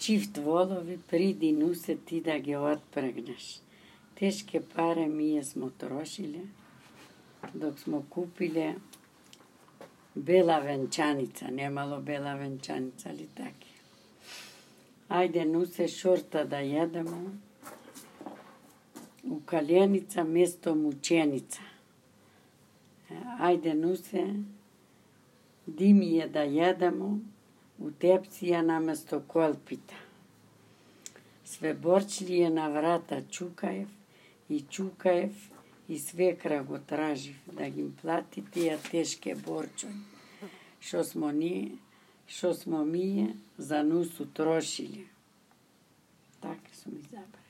чифт волови, приди нусе ти да ги отпрегнеш. Тешке паре ние смо трошиле, док смо купиле бела венчаница, немало бела венчаница, али таки. Ајде нусе шорта да једемо, у каленица место мученица. Ајде нусе, димије да једемо, у тепција наместо колпита. Све борчлије на врата чукаев и свекра го тражив да ги плати тие тешке борчови, шо смо мие за нусу трошиле. Така сум изабрала.